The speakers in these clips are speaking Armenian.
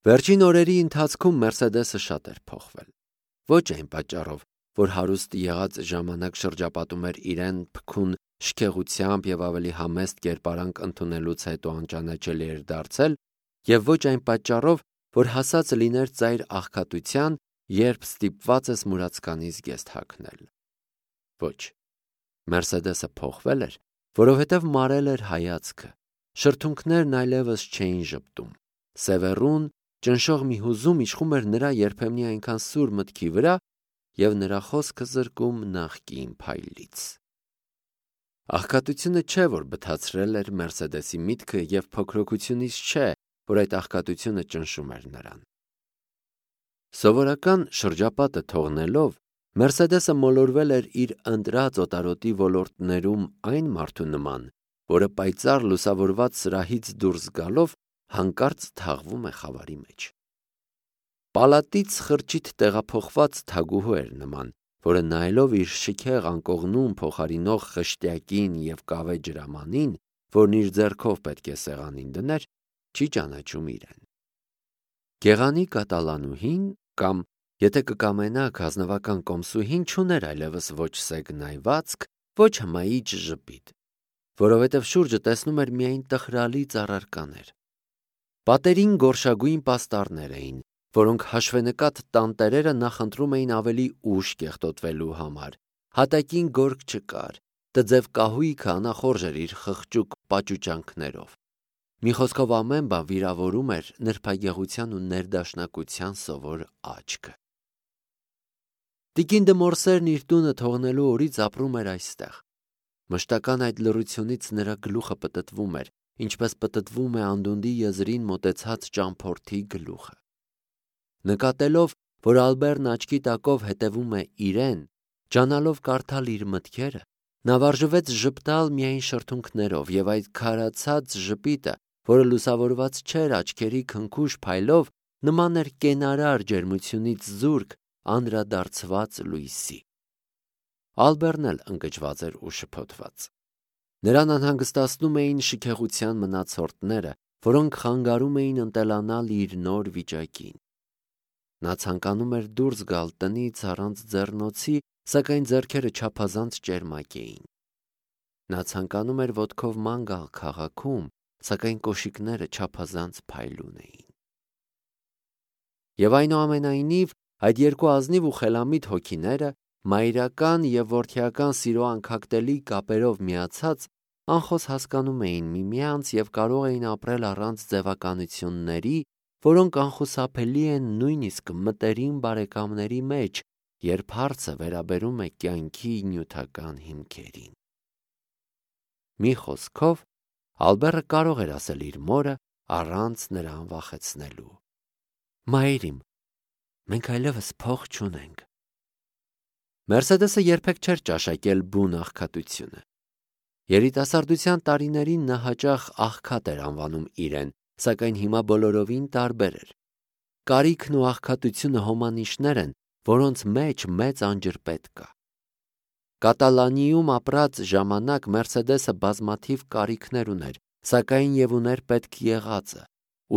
Վերջին օրերի ընթացքում Մերսեդեսը շատ էր փոխվել։ Ոչ այն պատճառով, որ հարուստ եղած ժամանակ շրջապատում էր իրեն փքուն շքեղությամբ եւ ավելի համեստ կերպարանք ընդունելուց հետո անճանաչելի էր դարձել, եւ ոչ այն պատճառով, որ հասած լիներ ծայր աղքատության, երբ ստիպված ես մուրացկանից զգեստ հագնել։ Ոչ, Մերսեդեսը փոխվել էր, որովհետև մարել էր հայացքը, շրթունքներն այլևս չէին ժպտում, սևեռուն, ճնշող մի հուզում իշխում էր նրա երբեմնի այնքան սուր մտքի վրա, եւ նրա խոսքը զրկում նախկին փայլից։ Աղքատությունը չէ, որ բթացրել էր Մերսեդեսի միտքը, եւ փոքրοκությունից չէ, որ այդ աղքատությունը ճնշում էր նրան։ Սովորական շրջապատը թողնելով, Մերսեդեսը մոլորվել էր իր ընտրած օտարոտի ոլորտներում այն մարդու նման, որը պայծառ լուսավորված սրահից դուրս գալով հանկարծ թաղվում է խավարի մեջ։ Պալատից խրճիթ տեղափոխված թագուհու էր նման, որը նայելով իր շքեղ անկողնում փոխարինող խշտյակին եւ կավե ջրամանին, որն իր ձեռքով պետք է սեղանին դներ, չի ճանաչում իրեն։ Գեղանի կատալանուհին կամ, եթե կկամենաք, ազնվական կոմսուհին չուներ այլևս ոչ սեգնայվածք, ոչ հմայիչ ժպիտ, որովհետև շուրջը տեսնում էր միայն տխրալի ծառարկաներ։ Պատերին գորշագույն պաստառներ էին, որոնք հաշվենկատ տանտերերը նախընտրում էին ավելի ուշ կեղտոտվելու համար, հատակին գորգ չկար, տձև կահույքը անախորժ էր իր խղճուկ պաճուճանքներով։ Մի խոսքով ամեն բան վիրավորում էր նրբագեղության ու ներդաշնակության սովոր աչքը։ Տիկին դը Մորսերն իր տունը թողնելու օրից ապրում էր այստեղ։ Մշտական այդ լռությունից նրա գլուխը պտտվում էր, ինչպես պտտվում է անդունդի եզրին մոտեցած ճամփորդի գլուխը։ Նկատելով, որ Ալբերն աչքի տակով հետևում է իրեն, ջանալով կարդալ իր մտքերը, նա վարժվեց ժպտալ միայն շրթունքներով, եւ այդ քարացած ժպիտը, որը լուսավորված չէր աչքերի քնքուշ փայլով, նման էր կենարար ջերմությունից զուրկ անդրադարձված լույսի։ Ալբերն էլ ընկճված էր ու շփոթված։ Նրան անհանգստացնում էին շքեղության մնացորդները, որոնք խանգարում էին ընտելանալ իր նոր վիճակին։ Նա ցանկանում էր դուրս գալ տնից առանց ձեռնոցի, սակայն ձեռքերը չափազանց ճերմակ էին։ Նա ցանկանում էր ոտքով ման գալ քաղաքում, սակայն կոշիկները չափազանց փայլուն էին։ Եվ այնուամենայնիվ, այդ երկու ազնիվ ու խելամիտ հոգիները, մայրական եւ որդիական սիրո անքակտելի կապերով միացած, անխոս հասկանում էին միմյանց եւ կարող էին ապրել առանց ձևականությունների, որոնք անխուսափելի են նույնիսկ մտերիմ բարեկամների մեջ, երբ հարցը վերաբերում է կյանքի նյութական հիմքերին։ Մի խոսքով, Ալբերը կարող էր ասել իր մորը առանց նրան վախեցնելու. «Մայրիմ, մենք այլևս փող չունենք»։ Մերսեդեսը երբեք չէր ճաշակել բուն աղքատությունը։ Երիտասարդության տարիներին նա հաճախ աղքատ էր անվանում իրեն, սակայն հիմա բոլորովին տարբեր էր։ Կարիքն ու աղքատությունը հոմանիշներ են, որոնց մեջ մեծ անջրպետ կա։ Կատալանիում ապրած ժամանակ Մերսեդեսը բազմաթիվ կարիքներ ուներ, սակայն եւ ուներ պետք եղածը։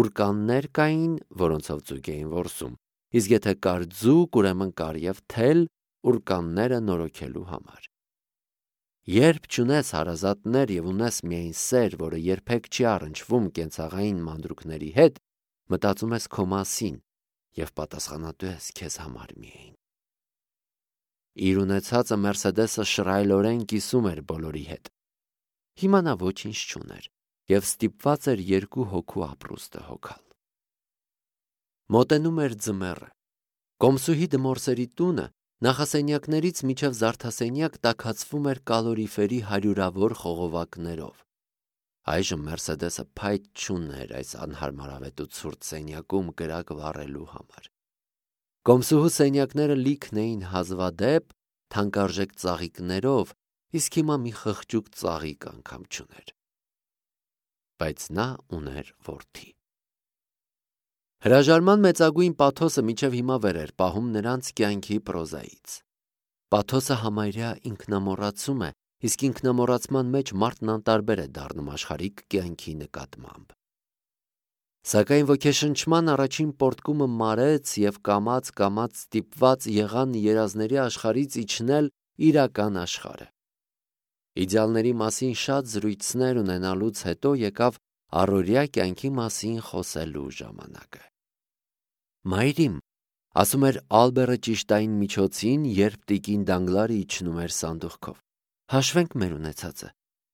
Ուրկաններ կային, որոնցով ձուկ էին որսում, իսկ եթե կար ձուկ, ուրեմն կար եւ թել ուրկանները նորոգելու համար։ Երբ չունես հարազատներ եւ ունես միայն սեր, որը երբեք չի առնչվում կենցաղային մանրուքների հետ, մտածում ես քո մասին եւ պատասխանատու ես քեզ համար միայն։ Իր ունեցածը Մերսեդեսը շռայլորեն կիսում էր բոլորի հետ։ Հիմա նա ոչինչ չուներ եւ ստիպված էր երկու հոգու ապրուստը հոգալ։ Մոտենում էր ձմեռը։ Կոմսուհի Դմորսերի տունը նախասենյակներից մինչև զարդասենյակ տաքացվում էր կալորիֆերի հարյուրավոր խողովակներով։ Այժմ Մերսեդեսը փայտ չուներ այս անհարմարավետ ու ցուրտ սենյակում կրակ վառելու համար։ Կոմսուհու սենյակները լիքն էին հազվադեպ, թանկարժեք ծաղիկներով, իսկ հիմա մի խղճուկ ծաղիկ անգամ չուներ։ Բայց նա ուներ որդի։ Հրաժարման մեծագույն պաթոսը մինչև հիմա վեր էր պահում նրանց կյանքի պրոզայից։ Պաթոսը համարյա ինքնամոռացում է, իսկ ինքնամոռացման մեջ մարդն անտարբեր է դառնում աշխարհիկ կյանքի նկատմամբ։ Սակայն ոգեշնչման առաջին պոռթկումը մարեց և կամաց-կամաց ստիպված եղան երազների աշխարհից իջնել իրական աշխարհը։ Իդեալների մասին շատ զրույցներ ունենալուց հետո եկավ առօրյա կյանքի մասին խոսելու ժամանակը։ «Մայրիմ», ասում էր Ալբերը ճիշտային միջոցին, երբ տիկին Դանգլարը իջնում էր սանդուղքով, «հաշվենք մեր ունեցածը։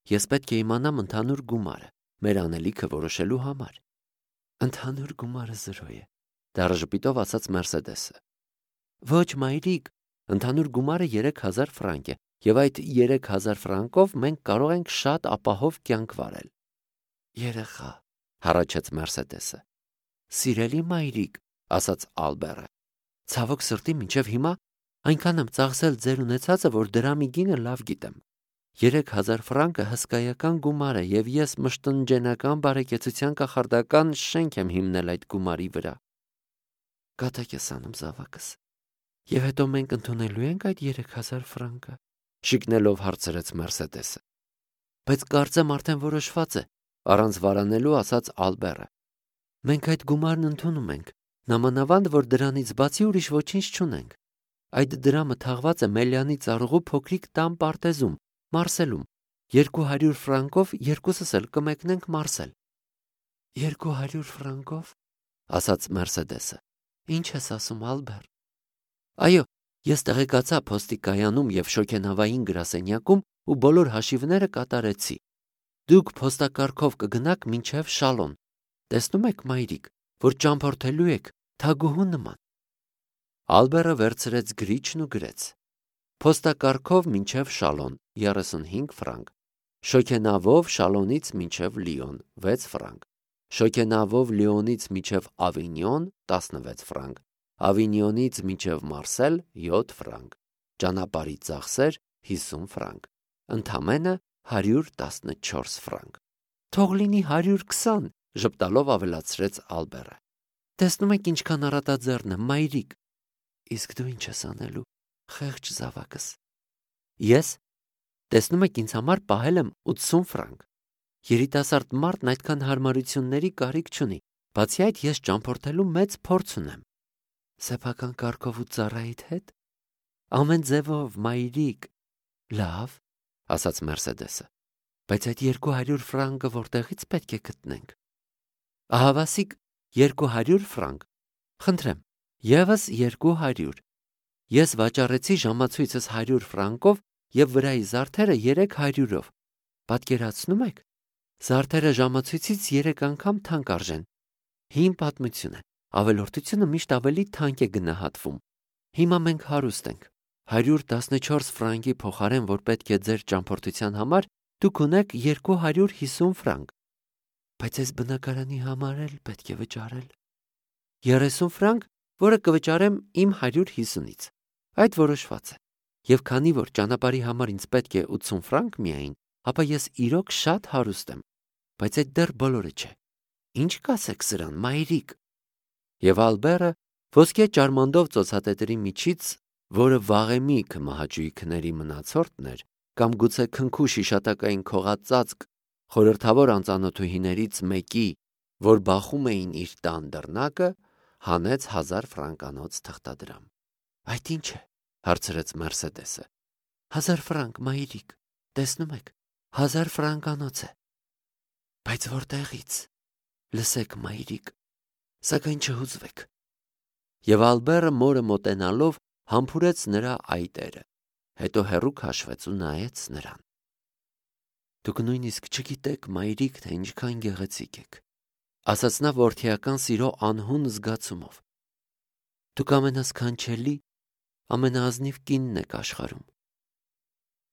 Ես պետք է իմանամ ընդհանուր գումարը, մեր անելիքը որոշելու համար»։ «Ընդհանուր գումարը 0 է», դառը ժպիտով ասաց Մերսեդեսը։ «Ոչ, մայրիկ, ընդհանուր գումարը 3000 ֆրանկ է, և այդ 3000 ֆրանկով մենք կարող ենք շատ ապահով կյանք վարել»։ «Երեխա», հառաչեց Մերսեդեսը։ «Սիրելի մայրիկ», ասաց Ալբերը, «ցավոք սրտի մինչև հիմա այնքան եմ ծախսել ձեր ունեցածը, որ դրա մի գինը լավ գիտեմ։ 3000 ֆրանկը հսկայական գումար է, և ես մշտնջենական բարեկեցության կախարդական շենք եմ հիմնել այդ գումարի վրա»։ «Կատակ ես անում, զավակս, և հետո մենք ընդունելու ենք այդ 3000 ֆրանկը», շիկնելով հարցրեց Մերսեդեսը։ «Բայց կարծեմ արդեն որոշված է», առանց վարանելու ասաց Ալբերը։ «Մենք այդ գումարն ընդունում ենք, նամանավանդ, որ դրանից բացի ուրիշ ոչինչ չունենք։ Այդ դրամը թաղված է Մելյանի ծառուղու փոքրիկ տան պարտեզում, Մարսելում։ 200 ֆրանկով երկուսս էլ կմեկնենք Մարսել»։ 200 ֆրանկով, ասաց Մերսեդեսը։ «Ինչ ես ասում, Ալբեր»։ «Այո, ես տեղեկացա փոստի կայանում և շոգենավային գրասենյակում ու բոլոր հաշիվները կատարեցի։ Դուք փոստակարգով կգնաք մինչև Շալոն։ Տեսնում եք, մայրիկ, որ ճամփորդելու եք թագուհու նման»։ Ալբերը վերցրեց գրիչն ու գրեց. «Փոստակարգով մինչև Շալոն 35 ֆրանկ, շոգենավով Շալոնից մինչև Լիոն 6 ֆրանկ, շոգենավով Լիոնից մինչև Ավինյոն 16 ֆրանկ, Ավինյոնից մինչև Մարսել 7 ֆրանկ, ճանապարհի ծախսեր 50 ֆրանկ, ընդամենը 114 ֆրանկ»։ «Թող լինի 120», ժպտալով ավելացրեց Ալբերը։ «Տեսնում եք ինչքան առատաձեռն եմ, մայրիկ»։ «Իսկ դու ինչ ես անելու, խեղճ զավակս»։ «Ես, տեսնում եք, ինձ համար պահել եմ 80 ֆրանկ։ Երիտասարդ մարդն այդքան հարմարությունների կարիք չունի, բացի այդ ես ճամփորդելու մեծ փորձ ունեմ»։ «Սեփական կարգով ու ծառայիդ հետ»։ «Ամեն ձևով, մայրիկ»։ «Լավ», ասաց Մերսեդեսը, «բայց այդ 200 ֆրանկը որտեղից պետք է գտնենք»։ «Ահավասիկ 200 ֆրանկ։ Խնդրեմ, ևս 200։ Ես վաճառեցի ժամացույցս 100 ֆրանկով և վրայի զարդերը 300-ով։ Պատկերացնում եք, զարդերը ժամացույցից 3 անգամ թանկ արժեն։ Հին պատմություն է, ավելորդությունը միշտ ավելի թանկ է գնահատվում։ Հիմա մենք հարուստ ենք։ 114 ֆրանկի փոխարեն, որ պետք է ձեր ճամփորդության համար, դուք ունեք 250 ֆրանկ։ Բայց այս բնակարանի համար էլ պետք է վճարել 30 ֆրանկ, որը կվճարեմ իմ 150-ից։ Այդ որոշված է։ Եվ քանի որ ճանապարհի համար ինձ պետք է 80 ֆրանկ միայն, ապա ես իրոք շատ հարուստ եմ։ Բայց այդ դեռ բոլորը չէ։ Ինչ կասեք սրան, մայրիկ։ Եվ Ալբերը ոսկե ճարմանդով ծոցատետերի միջից, որը վաղեմի քմահաճույքների մնացորդն էր, կամ գուցե քնքու շիշատակային քողածածկ խորհրդավոր անծանոթուհիներից մեկի, որ բախում էին իր տան դռնակը, հանեց 1000 ֆրանկանոց թղթադրամ։ «Այդ ի՞նչ է», հարցրեց Մերսեդեսը։ 1000 ֆրանկ, մայրիկ, տեսնում եք, 1000 ֆրանկանոց է։ Բայց որտեղից։ Լսեք, մայրիկ, սակայն չհուզվեք։ Եվ Ալբերը մորը մոտենալով համբուրեց նրա այտերը, հետո հեռու քաշվեց ու նայեց նրան։ «Դուք նույնիսկ չգիտեք, մայրիկ, թե ինչքան գեղեցիկ եք», ասաց նա որդիական սիրո անհուն զգացումով։ «Դուք ամենասքանչելի, ամենաազնիվ կինն եք աշխարհում»։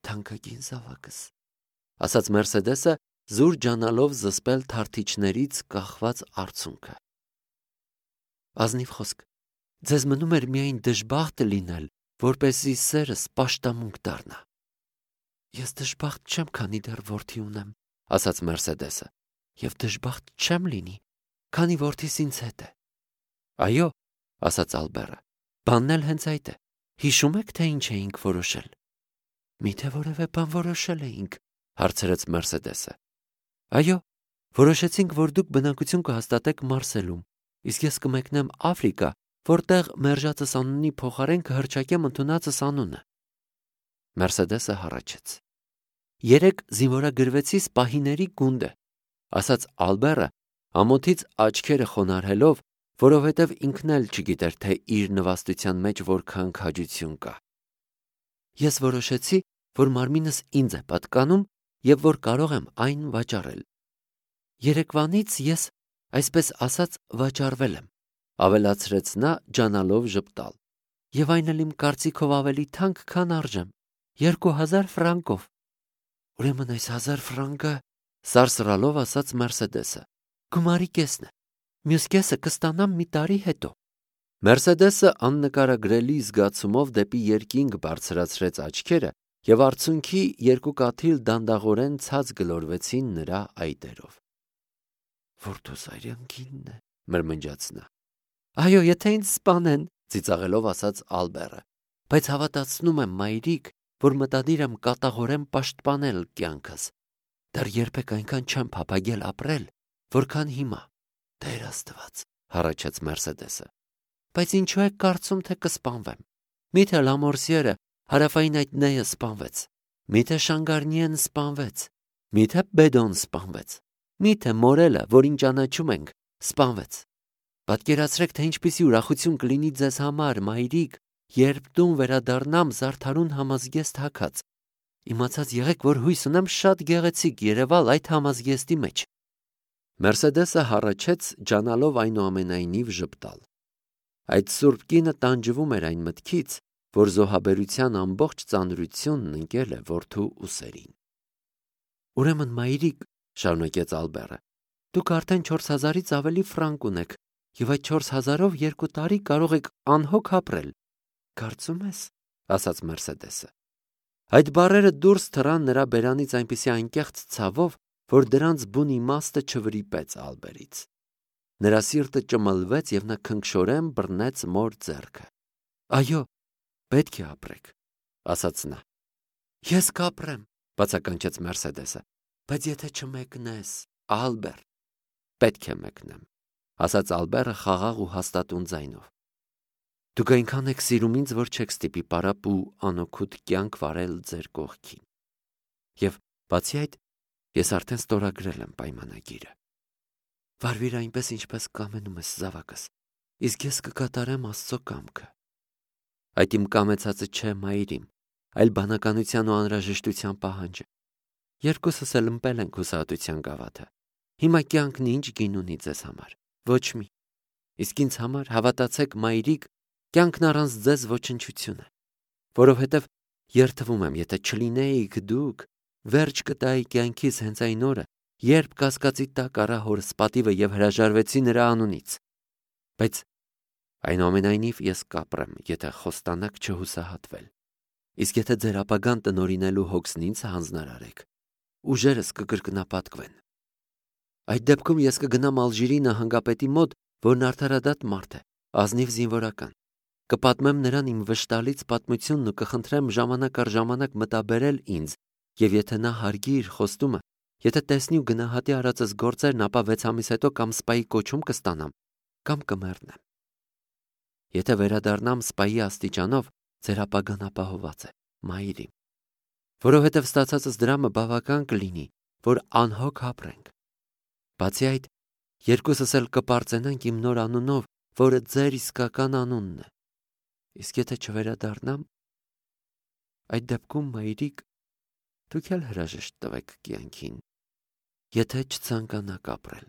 «Թանկագին զավակս», ասաց Մերսեդեսը, զուր ջանալով զսպել թարթիչներից կախված արցունքը։ «Ազնիվ խոսք, ձեզ մնում էր միայն դժբախտ լինել, որպեսզի սերս պաշտամունք դառնա»։ «Ես դժբախտ չեմ, քանի դեռ որդի ունեմ», ասաց Մերսեդեսը, «և դժբախտ չեմ լինի, քանի որդիս ինձ հետ է»։ «Այո», ասաց Ալբերը, «բանն էլ հենց այդ է։ Հիշում եք, թե ինչ էինք որոշել»։ «Միթե որևէ բան որոշել էինք», հարցրեց Մերսեդեսը։ «Այո, Որոշեցինք, որ դուք բնակություն կհաստատեք Մարսելում, իսկ ես կմեկնեմ Աֆրիկա, որտեղ մերժածս անունի փոխարեն կհռչակեմ ընդունածս անունը։ Մերսեդեսը հառաչեց։ Երեք զինվորագրվեցի սպահիների գունդը, ասաց Ալբերը, ամոթից աչքերը խոնարհելով, որովհետև ինքն էլ չգիտեր, թե իր նվաստության մեջ որքան քաջություն կա։ Ես որոշեցի, որ մարմինս ինձ է պատկանում և որ կարող եմ այն վաճառել։ Երեկվանից ես, այսպես ասած, վաճառվել եմ, ավելացրեց նա ջանալով ժպտալ, և այն էլ իմ կարծիքով ավելի թանկ, քան արժեմ, 2000 ֆրանկով։ Ուրեմն այս 1000 ֆրանկը, սարսռալով ասաց Մերսեդեսը, գումարի կեսն է, մյուս կեսը կստանամ մի տարի հետո։ Մերսեդեսը աննկարագրելի զգացումով դեպի երկինք բարձրացրեց աչքերը և արցունքի երկու կաթիլ դանդաղորեն ցած գլորվեցին նրա այտերով։ Որտոզարյանքինն է, մրմնջաց նա։ Այո, եթե ինձ սպանեն, ծիծաղելով ասաց Ալբերը, բայց հավատացնում եմ, մայրիկ, որ մտադիր եմ կատաղորեն պաշտպանել կյանքս։ Դեռ երբեք այնքան չեմ փափագել ապրել, որքան հիմա։ Տեր Աստված, հառաչեց Մերսեդեսը։ Բայց ինչու եք կարծում, թե կսպանվեմ։ Միթե Լամորսիերը, հարավային այդ նեյը սպանվեց։ Միթե Շանգարնիեն սպանվեց։ Միթե Բեդոն սպանվեց։ Միթե Մորելը, որին ճանաչում ենք, սպանվեց։ Պատկերացրեք, թե ինչպիսի ուրախություն կլինի ձեզ համար, մայրիկ, երբ տուն վերադառնամ զարդարուն համազգեստ հագած։ Իմացած եղեք, որ հույս ունեմ շատ գեղեցիկ երևալ այդ համազգեստի մեջ։ Մերսեդեսը հառաչեց, ջանալով այնուամենայնիվ ժպտալ։ Այդ սուրբ կինը տանջվում էր այն մտքից, որ զոհաբերության ամբողջ ծանրությունն ընկել է որդու ուսերին։ Ուրեմն, մայրիկ, շարունակեց Ալբերը, դուք արդեն 4000-ից ավելի ֆրանկ ունեք, և այդ 4000-ով 2 տարի կարող եք անհոգ ապրել։ Կարծում ես, ասաց Մերսեդեսը։ Այդ բառերը դուրս թռան նրա բերանից այնպիսի անկեղծ ցավով, որ դրանց բուն իմաստը չվրիպեց Ալբերից։ Նրա սիրտը ճմլվեց և նա քնքշորեն բռնեց մոր ձեռքը։ Այո, պետք է ապրեք, ասաց նա։ Ես կապրեմ, բացականչեց Մերսեդեսը, բայց եթե չմեկնես, Ալբեր, պետք է մեկնեմ, ասաց Ալբերը խաղաղ ու հաստատուն ձայնով։ Դուք այնքան եք սիրում ինձ, որ չեք ստիպի պարապ ու անօգուտ կյանք վարել ձեր կողքին։ Եվ բացի այդ, ես արդեն ստորագրել եմ պայմանագիրը։ Վարվիր այնպես, ինչպես կամենում ես, զավակս, իսկ ես կկատարեմ Աստծո կամքը։ Այդ իմ կամեցածը չէ, մայրիմ, այլ բանականության ու անհրաժեշտության պահանջը։ Երկուսս էլ ըմպել ենք հուսահատության գավաթը։ Հիմա կյանքն ինչ գին ունի ձեզ համար։ Ոչ մի։ Իսկ ինձ համար, հավատացեք, մայրիկ, կյանքն առանց ձեզ ոչնչություն է։ Որովհետև երդվում եմ, եթե չլինեիք դուք, վերջ կտայի կյանքիս հենց այն օրը, երբ կասկածի տակ առա հորս պատիվը և հրաժարվեցի նրա անունից։ Բայց այնուամենայնիվ ես կապրեմ, եթե խոստանաք չհուսահատվել։ Իսկ եթե ձեր ապագան տնօրինելու հոգսն ինձ հանձնարարեք, ուժերս կկրկնապատկվեն։ Այդ դեպքում ես կգնամ Ալժիրի նահանգապետի մոտ, որն արդարադատ մարդ է, ազնիվ զինվորական։ Կպատմեմ նրան իմ վշտալից պատմությունն ու կխնդրեմ ժամանակ առ ժամանակ մտաբերել ինձ, և եթե նա հարգի իր խոստումը, եթե տեսնի ու գնահատի արածս գործերն, ապա 6 ամիս հետո կամ սպայի կոչում կստանամ, կամ կմեռնեմ։ Եթե վերադառնամ սպայի աստիճանով, ձեր ապագան ապահոված է, մայրիմ, որովհետև ստացածս դրամը բավական կլինի, որ անհոգ ապրենք։ Բացի այդ, երկուսս էլ կպարծենանք իմ նոր անունով, որը ձեր իսկական անունն է։ Իսկ եթե չվերադառնամ, այդ դեպքում, մայրիկ, դուք էլ հրաժեշտ տվեք կյանքին, եթե չցանկանաք ապրել,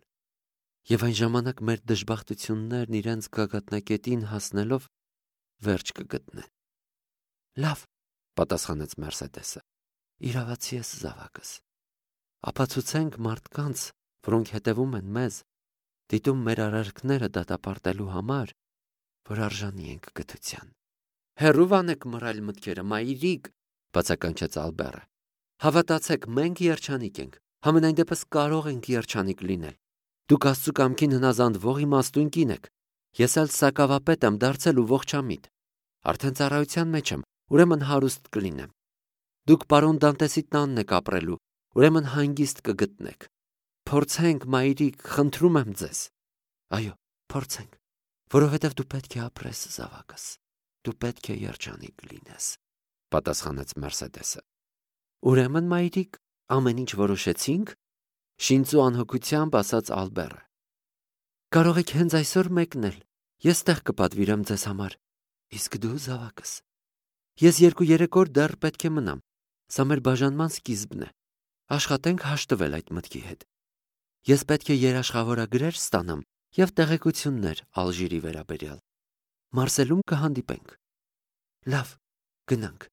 և այն ժամանակ մեր դժբախտություններն իրենց գագաթնակետին հասնելով վերջ կգտնեն։ Լավ, պատասխանեց Մերսեդեսը, իրավացի ես, զավակս։ Ապացուցենք մարդկանց, որոնք հետևում են մեզ, դիտում մեր արարքները դատապարտելու համար, որ արժանի ենք գթության։ Հեռու վանեք մռայլ մտքերը, մայրիկ, բացականչեց Ալբերը։ Հավատացեք, մենք երջանիկ ենք, համենայն դեպս կարող ենք երջանիկ լինել։ Դուք Աստծու կամքին հնազանդվող իմաստուն կին եք։ Ես էլ սակավապետ եմ դարձել ու ողջամիտ։ Արդեն ծառայության մեջ եմ, ուրեմն հարուստ կլինեմ։ Դուք պարոն Դանտեսի տանն եք ապրելու, ուրեմն հանգիստ կգտնեք։ փորձենք, մայրիկ, խնդրում եմ ձեզ։ Այո, փորձենք, որովհետև դու պետք է ապրես, զավակս, դու պետք է երջանիկ լինես, պատասխանեց Մերսեդեսը։ Ուրեմն, մայրիկ, ամեն ինչ որոշեցինք, շինծու անհոգությամբ ասաց Ալբերը։ Կարող եք հենց այսօր մեկնել, ես տեղ կպատվիրեմ ձեզ համար, իսկ դու, զավակս, ես 2-3 օր դեռ պետք է մնամ, սա մեր բաժանման սկիզբն է, աշխատենք հաշտվել այդ մտքի հետ։ Ես պետք է երաշխավորագրեր ստանամ և տեղեկություններ Ալժիրի վերաբերյալ։ Մարսելում կհանդիպենք։ Լավ, գնանք,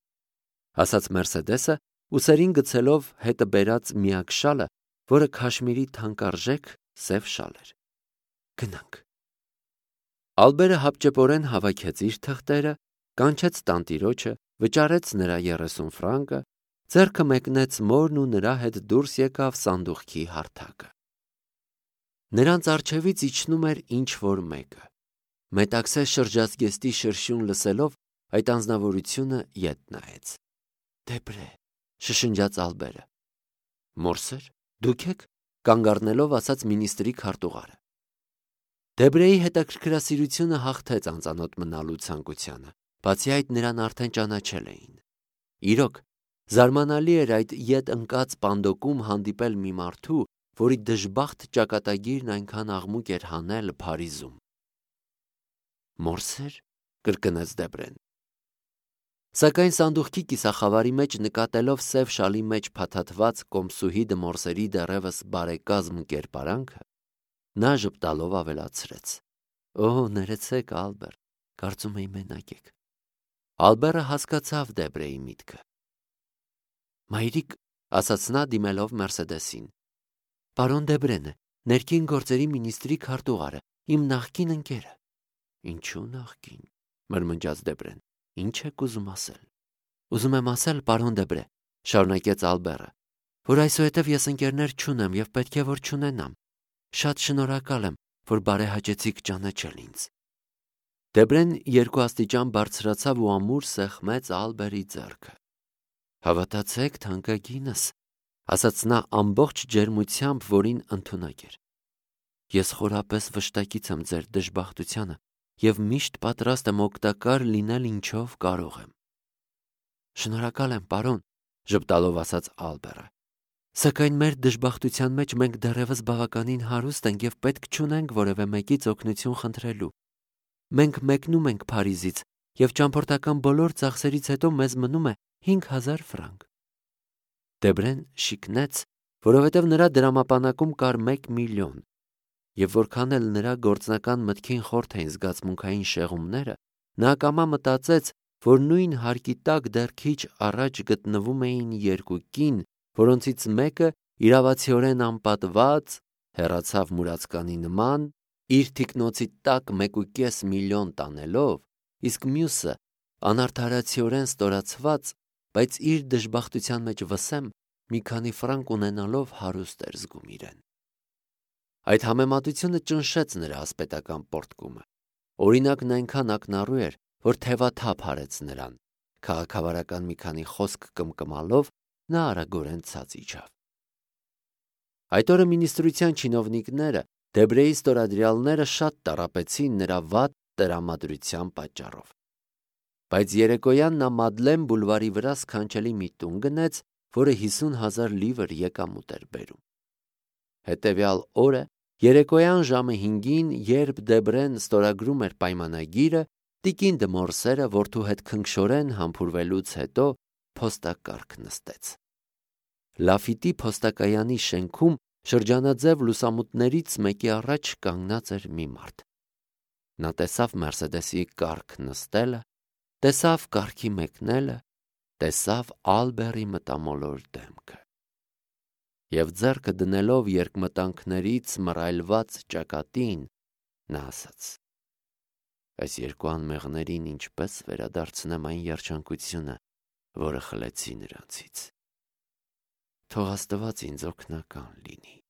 ասաց Մերսեդեսը, ուսերին գցելով հետը բերած միակ շալը, որը քաշմիրի թանկարժեք սև շալ էր։ Գնանք։ Ալբերը հապճեպորեն հավաքեց իր թղթերը, կանչեց տանտիրոջը, վճարեց նրա 30 ֆրանկը, ձեռքը մեկնեց մորն ու նրա հետ դուրս եկավ սանդուղքի հարթակը։ Նրանց առջևից իջնում էր ինչ-որ մեկը։ Մետաքսե շրջազգեստի շրշյուն լսելով, այդ անձնավորությունը ետ նայեց։ Դեբրե, շշնջաց Ալբերը։ Մորսեր, դուք եք, կանգ առնելով ասաց մինիստրի քարտուղարը։ Դեբրեի հետաքրքրասիրությունը հաղթեց անծանոթ մնալու ցանկությանը, բացի այդ նրան արդեն ճանաչել էին։ Իրոք, զարմանալի էր այդ ետ ընկած պանդոկում հանդիպել մի մարդու, որի դժբախտ ճակատագիրն այնքան աղմուկ էր հանել Փարիզում։ Մորսեր, կրկնեց Դեբրեն։ Սակայն սանդուղքի կիսախավարի մեջ նկատելով սև շալի մեջ փաթաթված կոմսուհի դմորսերի դեռևս բարեկազմ կերպարանքը, նա ժպտալով ավելացրեց. Օ, ներեցեք, Ալբեր, կարծում էի մենակ եք։ Ալբերը հասկացավ Դեբրեի միտքը։ Մայրիկ, ասաց նա դիմելով Մերսեդեսին, պարոն Դեբրեն է, ներքին գործերի մինիստրի քարտուղարը, իմ նախկին ընկերը։ Ինչու նախկին, մրմնջաց Դեբրեն, ինչ եք ուզում ասել։ Ուզում եմ ասել, պարոն Դեբրե, շարունակեց Ալբերը, որ այսուհետև ես ընկերներ չունեմ և պետք է որ չունենամ։ Շատ շնորհակալ եմ, որ բարեհաճեցիք ճանաչել ինձ։ Դեբրեն 2 աստիճան բարձրացավ ու ամուր սեղմեց Ալբերի ձեռքը։ Հավատացեք, թանկագինս, ասաց նա ամբողջ ջերմությամբ, որին ընդունակ էր։ Ես խորապես վշտակից եմ ձեր դժբախտությանը և միշտ պատրաստ եմ օգտակար լինել ինչով կարող եմ։ Շնորհակալ եմ, պարոն, ժպտալով ասաց Ալբերը։ Սակայն մեր դժբախտության մեջ մենք դեռևս բավականին հարուստ ենք և պետք չունենք որևէ մեկից օգնություն խնդրելու։ Մենք մեկնում ենք Փարիզից և ճամփորդական բոլոր ծախսերից հետո մեզ մնում է 5000 ֆրանկ։ Դեբրեն շիկնեց, որովհետև նրա դրամապանակում կար 1 միլիոն, և որքան էլ նրա գործնական մտքին խորթ էին զգացմունքային շեղումները, նա ակամա մտածեց, որ նույն հարկի տակ դեռ քիչ առաջ գտնվում էին 2 կին, որոնցից մեկը իրավացիորեն անպատված հեռացավ մուրացկանի նման, իր թիկնոցի տակ 1,5 միլիոն տանելով, իսկ մյուսը անարդարացիորեն ստորացված, բայց իր դժբախտության մեջ վսեմ մի քանի ֆրանկ ունենալով հարուստ էր զգում իրեն։ Այդ համեմատությունը ճնշեց նրա ասպետական պորտկումը։ Օրինակն այնքան ակնառու էր, որ թևաթափ արեց նրան։ Քաղաքավարական մի քանի խոսք կմկմալով նա արագորեն ցած իջավ։ Այդ օրը մինիստրության չինովնիկները, Դեբրեի ստորադրյալները շատ տառապեցին նրա վատ տրամադրության պատճառով։ Բայց երեկոյան նա Մադլեն բուլվարի վրա սքանչելի մի տուն գնեց, որը 50,000 լիվր եկամուտ էր բերում։ Հետևյալ օրը երեկոյան ժամը 5-ին, երբ Դեբրեն ստորագրում էր պայմանագիրը, տիկին դմորսերը որդու հետ քնքշորեն համբուրվելուց հետո փոստակառք նստեց։ Լաֆիտի փոստակայանի շենքում շրջանաձև լուսամուտներից մեկի առաջ կանգնած էր մի մարդ։ Նա տեսավ Մերսեդեսի կառք նստելը, տեսավ կառքի մեկնելը, տեսավ Ալբերի մտամոլոր դեմքը։ Եվ ձեռքը դնելով երկմտանքներից մռայլված ճակատին, նա ասաց. Այս 2 անմեղներին ինչպես վերադարձնեմ այն երջանկությունը, որը խլեցի նրանցից։ Թող Աստված ինձ օգնական լինի։